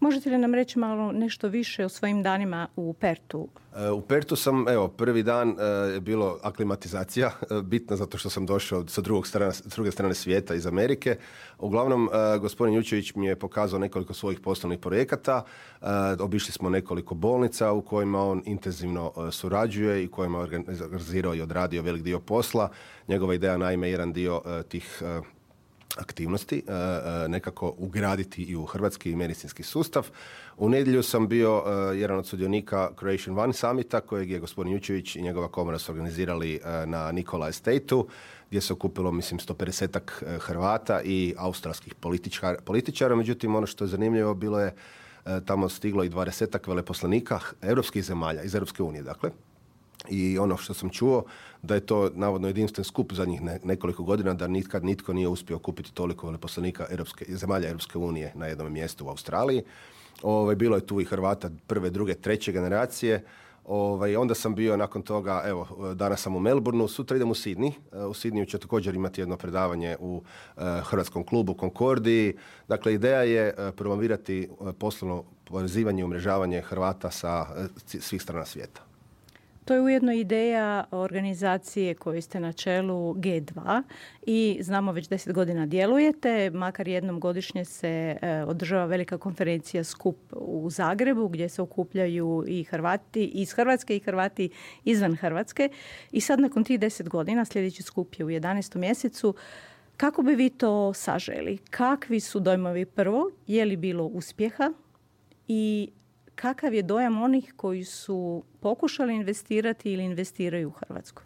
Možete li nam reći malo nešto više o svojim danima u Pertu? U Pertu sam, evo, prvi dan je bilo aklimatizacija, bitna zato što sam došao sa drugog strane, s druge strane svijeta iz Amerike. Uglavnom, gospodin Jučević mi je pokazao nekoliko svojih poslovnih projekata. Obišli smo nekoliko bolnica u kojima on intenzivno surađuje i kojima je organizirao i odradio velik dio posla. Njegova ideja, naime, jedan dio tih aktivnosti nekako ugraditi i u hrvatski medicinski sustav. U nedjelju sam bio jedan od sudionika Croatian One Summita kojeg je gospodin Jučević i njegova komora su organizirali na Nikola Estate-u, gdje se okupilo, mislim, sto pedesetak Hrvata i australskih političara, političara. Međutim, ono što je zanimljivo bilo je tamo stiglo i dvadesetak veleposlanika europskih zemalja, iz Europske unije, dakle. I ono što sam čuo, da je to navodno jedinstven skup zadnjih ne, nekoliko godina, da nikad nitko nije uspio kupiti toliko veleposlanika Europske, zemalja Europske unije na jednom mjestu u Australiji. Ove, bilo je tu i Hrvata prve, druge, treće generacije. Ove, onda sam bio nakon toga, evo, danas sam u Melbourneu, sutra idem u Sydney. U Sydneyu će također imati jedno predavanje u uh, Hrvatskom klubu Concordii. Dakle, ideja je uh, promovirati uh, poslovno povezivanje i umrežavanje Hrvata sa uh, svih strana svijeta. To je ujedno ideja organizacije koje ste na čelu G dva i znamo već deset godina djelujete, makar jednom godišnje se e, održava velika konferencija skup u Zagrebu gdje se okupljaju i Hrvati iz Hrvatske i Hrvati izvan Hrvatske. I sad nakon tih deset godina, sljedeći skup je u jedanaestom mjesecu, kako bi vi to saželi? Kakvi su dojmovi prvo? Je li bilo uspjeha? I kakav je dojam onih koji su pokušali investirati ili investiraju u Hrvatsku?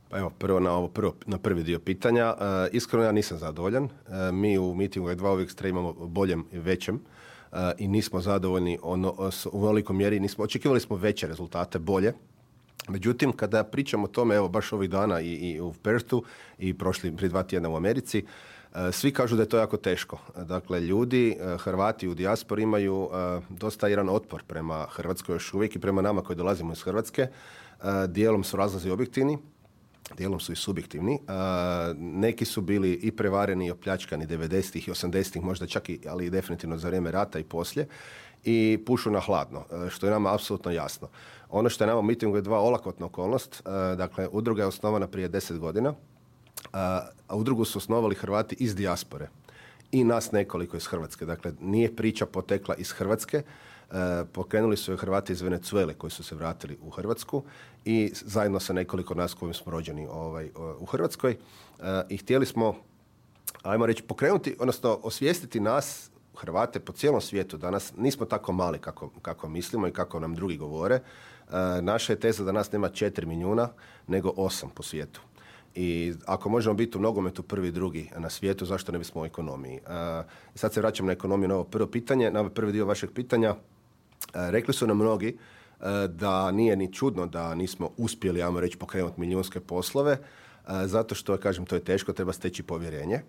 Pa evo, prvo na, ovo, prvo, na prvi dio pitanja. E, iskreno, ja nisam zadovoljan. E, mi u Meetingu G dva uvijek stremamo boljem i većem e, i nismo zadovoljni ono, u velikoj mjeri. Nismo, očekivali smo veće rezultate, bolje. Međutim, kada pričamo o tome, evo, baš ovih dana i, i u Perthu i prošli prije dva tjedna u Americi, svi kažu da je to jako teško. Dakle, ljudi, Hrvati u dijaspori imaju uh, dosta jedan otpor prema Hrvatskoj još uvijek i prema nama koji dolazimo iz Hrvatske. Uh, dijelom su razlozi objektivni, dijelom su i subjektivni. Uh, neki su bili i prevareni i opljačkani devedesetih i osamdesetih, možda čak i, ali i definitivno za vrijeme rata i poslije. I pušu na hladno, što je nama apsolutno jasno. Ono što je nama u Meetingu G dva olakotna okolnost, uh, dakle, udruga je osnovana prije deset godina, a udrugu su osnovali Hrvati iz dijaspore i nas nekoliko iz Hrvatske. Dakle, nije priča potekla iz Hrvatske, e, pokrenuli su je Hrvati iz Venezuele koji su se vratili u Hrvatsku i zajedno sa nekoliko nas kojim smo rođeni ovaj, u Hrvatskoj. E, I htjeli smo, ajmo reći, pokrenuti, odnosno osvijestiti nas, Hrvate po cijelom svijetu danas. Nismo tako mali kako, kako mislimo i kako nam drugi govore. E, naša je teza da nas nema četiri milijuna, nego osam po svijetu. I ako možemo biti u nogometu prvi i drugi na svijetu, zašto ne bismo u ekonomiji? Uh, sad se vraćam na ekonomiju, na ovo prvo pitanje, na ovaj prvi dio vašeg pitanja. Uh, rekli su nam mnogi uh, da nije ni čudno da nismo uspjeli, ajmo reći, pokrenuti milijunske poslove, uh, zato što, kažem, to je teško, treba steći povjerenje.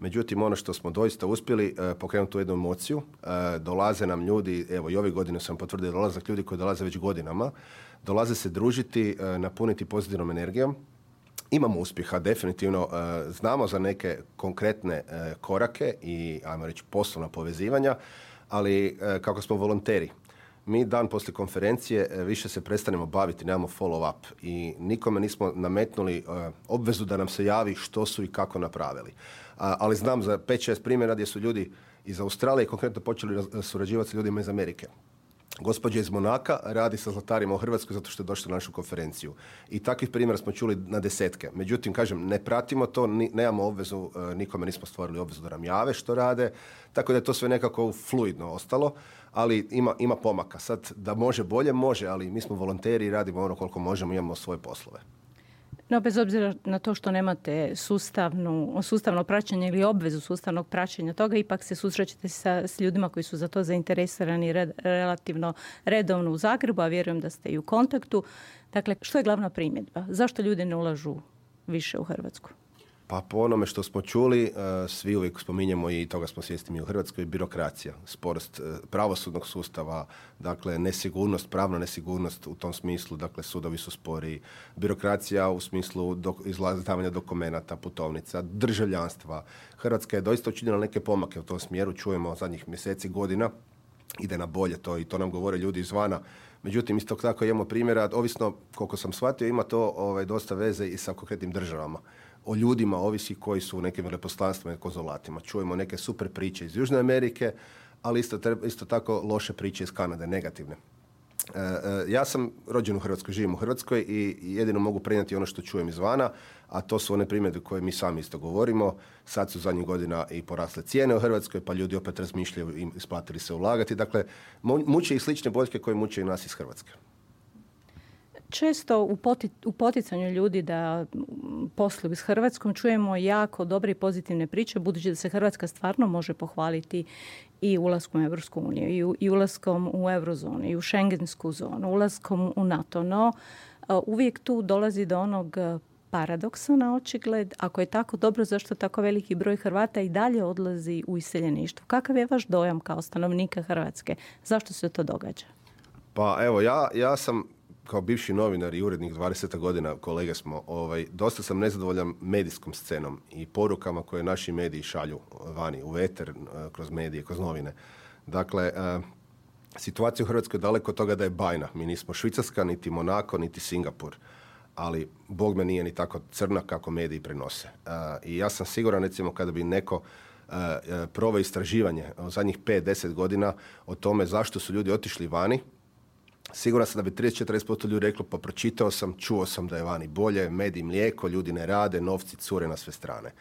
Međutim, ono što smo doista uspjeli uh, pokrenuti tu jednu emociju, uh, dolaze nam ljudi, evo i ove godine sam potvrdio dolazak ljudi koji dolaze već godinama, dolaze se družiti, uh, napuniti pozitivnom energijom. Imamo uspjeha, definitivno. Uh, znamo za neke konkretne uh, korake i, ajmo reći, poslovna povezivanja, ali uh, kako smo volonteri, mi dan poslije konferencije uh, više se prestanemo baviti, nemamo follow up i nikome nismo nametnuli uh, obvezu da nam se javi što su i kako napravili. Uh, ali znam za pet šest primjera gdje su ljudi iz Australije konkretno počeli surađivati s ljudima iz Amerike. Gospođa iz Monaka radi sa zlatarima u Hrvatskoj zato što je došla na našu konferenciju. I takvih primjera smo čuli na desetke. Međutim, kažem, ne pratimo to, ni, nemamo obvezu, nikome nismo stvorili obvezu da nam jave što rade, tako da je to sve nekako fluidno ostalo, ali ima, ima pomaka. Sad, da može bolje, može, ali mi smo volonteri i radimo ono koliko možemo, imamo svoje poslove. No, bez obzira na to što nemate sustavnu, sustavno praćenje ili obvezu sustavnog praćenja toga, ipak se susrećete sa, s ljudima koji su za to zainteresirani red, relativno redovno u Zagrebu, a vjerujem da ste i u kontaktu. Dakle, što je glavna primjedba? Zašto ljudi ne ulažu više u Hrvatsku? Pa po onome što smo čuli, svi uvijek spominjemo i toga smo svjesni mi u Hrvatskoj, birokracija, sporost pravosudnog sustava, dakle nesigurnost, pravna nesigurnost u tom smislu, dakle sudovi su spori, birokracija u smislu dok, izdavanja dokumenata, putovnica, državljanstva. Hrvatska je doista učinila neke pomake u tom smjeru, čujemo zadnjih mjeseci, godina, ide na bolje to i to nam govore ljudi izvana. Međutim, isto tako imamo primjera, ovisno koliko sam shvatio, ima to ovaj, dosta veze i sa konkretnim državama. O ljudima ovisi koji su u nekim veleposlanstvima i konzulatima. Čujemo neke super priče iz Južne Amerike, ali isto, isto tako loše priče iz Kanade, negativne. E, e, ja sam rođen u Hrvatskoj, živim u Hrvatskoj i jedino mogu prenijeti ono što čujem izvana, a to su one primjedbe koje mi sami isto govorimo. Sad su zadnjih godina i porasle cijene u Hrvatskoj, pa ljudi opet razmišljaju i isplatili se ulagati. Dakle, muče i slične boljke koje muče i nas iz Hrvatske. Često u, poti, u poticanju ljudi da posluju s Hrvatskom čujemo jako dobre i pozitivne priče, budući da se Hrvatska stvarno može pohvaliti i ulaskom u Europsku uniju, i, i ulaskom u Eurozonu, i u Schengensku zonu, ulaskom u NATO. No, uvijek tu dolazi do onog paradoksa na očigled. Ako je tako dobro, zašto tako veliki broj Hrvata i dalje odlazi u iseljeništvo? Kakav je vaš dojam kao stanovnika Hrvatske? Zašto se to događa? Pa evo, ja, ja sam kao bivši novinar i urednik dvadeset godina, kolege smo, ovaj, dosta sam nezadovoljan medijskom scenom i porukama koje naši mediji šalju vani, u eter, kroz medije, kroz novine. Dakle, uh, situacija u Hrvatskoj je daleko od toga da je bajna. Mi nismo Švicarska, niti Monako, niti Singapur. Ali, Bog me nije ni tako crna kako mediji prenose. Uh, I ja sam siguran, recimo, kada bi neko uh, proveo istraživanje u zadnjih pet do deset godina o tome zašto su ljudi otišli vani, siguran sam da bi trideset do četrdeset posto ljudi reklo, pa pročitao sam, čuo sam da je vani bolje, med i mlijeko, ljudi ne rade, novci cure na sve strane.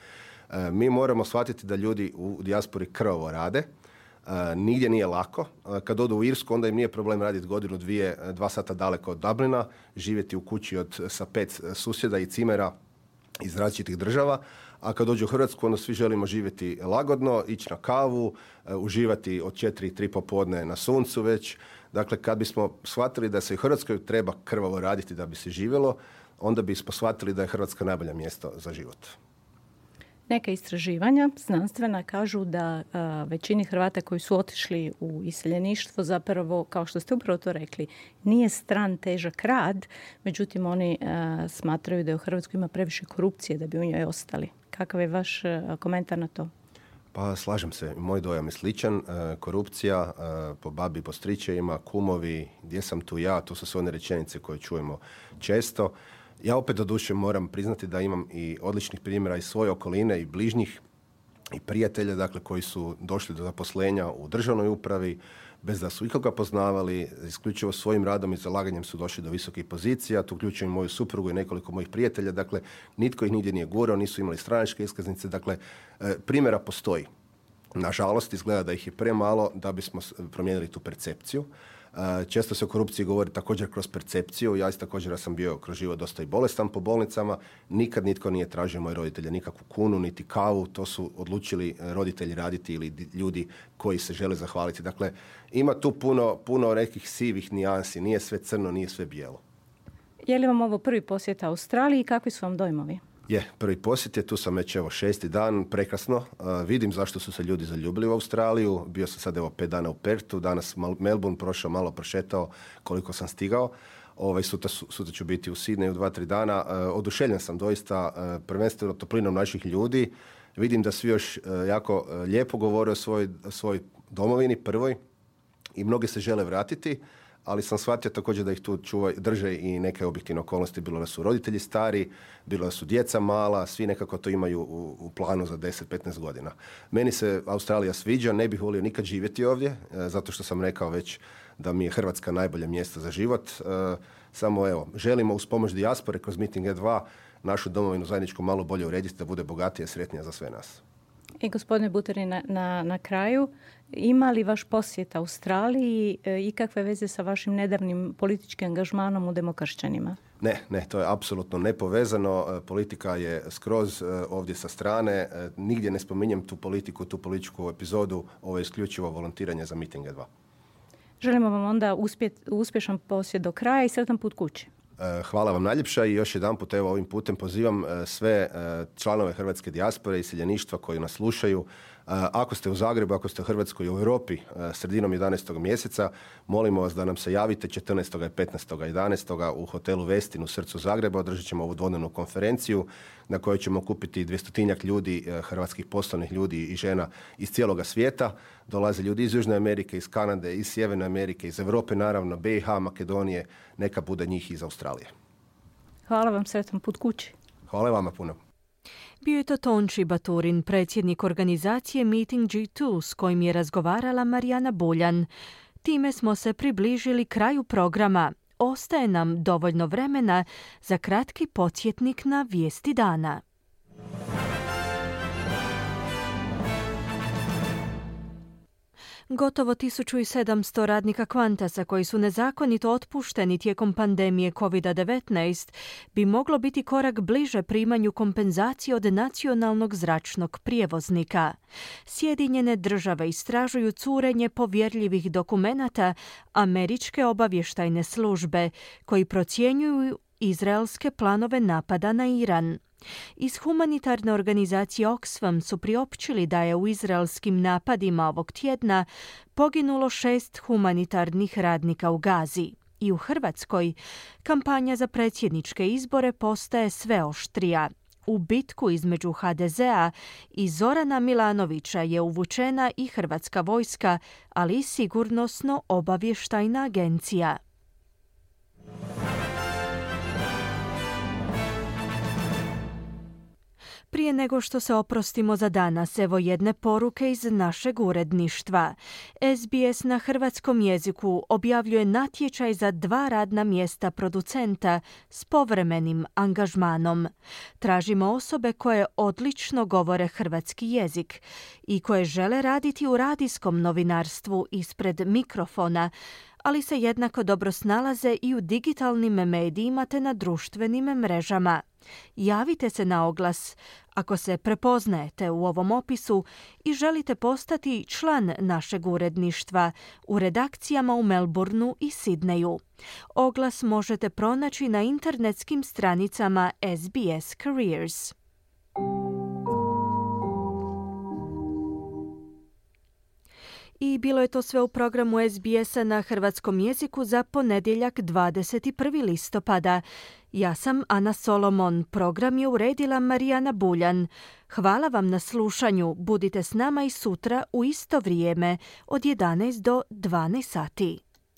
E, mi moramo shvatiti da ljudi u dijaspori krvavo rade, e, nigdje nije lako. E, kad odu u Irsku, onda im nije problem raditi godinu, dvije, dva sata daleko od Dublina, živjeti u kući od, sa pet susjeda i cimera iz različitih država, a kad dođu u Hrvatsku, onda svi želimo živjeti lagodno, ići na kavu, e, uživati od četiri, tri popodne na suncu već. Dakle, kad bismo shvatili da se u Hrvatskoj treba krvavo raditi da bi se živjelo, onda bismo shvatili da je Hrvatska najbolje mjesto za život. Neka istraživanja znanstvena kažu da a, većini Hrvata koji su otišli u iseljeništvo zapravo, kao što ste upravo to rekli, nije stran težak rad, međutim oni a, smatraju da u Hrvatskoj ima previše korupcije da bi u njoj ostali. Kakav je vaš a, komentar na to? Pa slažem se, moj dojam je sličan. E, korupcija e, po babi, po stričevima, kumovi, gdje sam tu ja, to su sve one rečenice koje čujemo često. Ja opet doduše moram priznati da imam i odličnih primjera iz svoje okoline i bližnjih i prijatelja, dakle, koji su došli do zaposlenja u državnoj upravi bez da su ikoga poznavali, isključivo svojim radom i zalaganjem su došli do visokih pozicija. Tu uključujem moju suprugu i nekoliko mojih prijatelja. Dakle, nitko ih nigdje nije gurao, nisu imali stranačke iskaznice. Dakle, primjera postoji. Nažalost, izgleda da ih je premalo da bismo promijenili tu percepciju. Često se o korupciji govori također kroz percepciju. Ja isto također sam bio kroz život dosta i bolestan po bolnicama. Nikad nitko nije tražio moje roditelje nikakvu kunu, niti kavu. To su odlučili roditelji raditi ili ljudi koji se žele zahvaliti. Dakle, ima tu puno, puno nekih sivih nijansi. Nije sve crno, nije sve bijelo. Je li vam ovo prvi posjet Australiji i kakvi su vam dojmovi? Je, prvi posjet je, tu sam već evo šesti dan, prekrasno. Uh, vidim zašto su se ljudi zaljubili u Australiju. Bio sam sad evo pet dana u Pertu, danas Melbourne, prošao, malo prošetao koliko sam stigao. Ovaj, sutra, sutra ću biti u Sydneyu dva, tri dana. Uh, oduševljen sam doista uh, prvenstveno toplinom naših ljudi. Vidim da svi još uh, jako uh, lijepo govore o svoj, svoj domovini prvoj i mnogi se žele vratiti. Ali sam shvatio također da ih tu čuva, drže i neke objektivne okolnosti. Bilo da su roditelji stari, bilo da su djeca mala, svi nekako to imaju u, u planu za deset do petnaest godina. Meni se Australija sviđa, ne bih volio nikad živjeti ovdje, e, zato što sam rekao već da mi je Hrvatska najbolje mjesto za život. E, samo evo, želimo uz pomoć dijaspore kroz Meeting E dva našu domovinu zajedničku malo bolje urediti da bude bogatija i sretnija za sve nas. I gospodine Buterin, na, na, na kraju, ima li vaš posjet Australiji e, ikakve veze sa vašim nedavnim političkim angažmanom u Demokršćanima? Ne, ne, to je apsolutno nepovezano. Politika je skroz ovdje sa strane. Nigdje ne spominjem tu politiku, tu političku epizodu. Ovo je isključivo volontiranje za Meeting E dva. Želimo vam onda uspjet, uspješan posjet do kraja i sretan put kući. Hvala vam najljepša i još jedan put evo ovim putem pozivam sve članove hrvatske dijaspore i iseljeništva koji nas slušaju. Ako ste u Zagrebu, ako ste u Hrvatskoj i u Europi sredinom jedanaestog mjeseca, molimo vas da nam se javite četrnaestog i petnaestog jedanaestog u hotelu Westin u srcu Zagreba. Održat ćemo ovu dvodnevnu konferenciju na kojoj ćemo okupiti dvjestotinjak ljudi, hrvatskih poslovnih ljudi i žena iz cijeloga svijeta. Dolaze ljudi iz Južne Amerike, iz Kanade, iz Sjeverne Amerike, iz Europe naravno, B i H, Makedonije, neka bude njih iz Australije. Hvala vam, sretan put kući. Hvala vama puno. Bio je to Tonči Baturin, predsjednik organizacije Meeting G dva s kojim je razgovarala Marijana Buljan. Time smo se približili kraju programa. Ostaje nam dovoljno vremena za kratki podsjetnik na vijesti dana. Gotovo tisuću sedamsto radnika Qantasa koji su nezakonito otpušteni tijekom pandemije kovid devetnaest bi moglo biti korak bliže primanju kompenzacije od nacionalnog zračnog prijevoznika. Sjedinjene države istražuju curenje povjerljivih dokumenata američke obavještajne službe koji procjenjuju izraelske planove napada na Iran. Iz humanitarne organizacije Oxfam su priopćili da je u izraelskim napadima ovog tjedna poginulo šest humanitarnih radnika u Gazi. I u Hrvatskoj kampanja za predsjedničke izbore postaje sve oštrija. U bitku između H D Z-a i Zorana Milanovića je uvučena i hrvatska vojska, ali i sigurnosno-obavještajna agencija. Prije nego što se oprostimo za danas, evo jedne poruke iz našeg uredništva. S B S na hrvatskom jeziku objavljuje natječaj za dva radna mjesta producenta s povremenim angažmanom. Tražimo osobe koje odlično govore hrvatski jezik i koje žele raditi u radijskom novinarstvu ispred mikrofona, ali se jednako dobro snalaze i u digitalnim medijima te na društvenim mrežama. Javite se na oglas ako se prepoznajete u ovom opisu i želite postati član našeg uredništva u redakcijama u Melbourneu i Sidneju. Oglas možete pronaći na internetskim stranicama S B S Careers. I bilo je to sve u programu S B S-a na hrvatskom jeziku za ponedjeljak dvadeset prvi listopada. Ja sam Ana Solomon, program je uredila Marijana Buljan. Hvala vam na slušanju, budite s nama i sutra u isto vrijeme od jedanaest do dvanaest sati.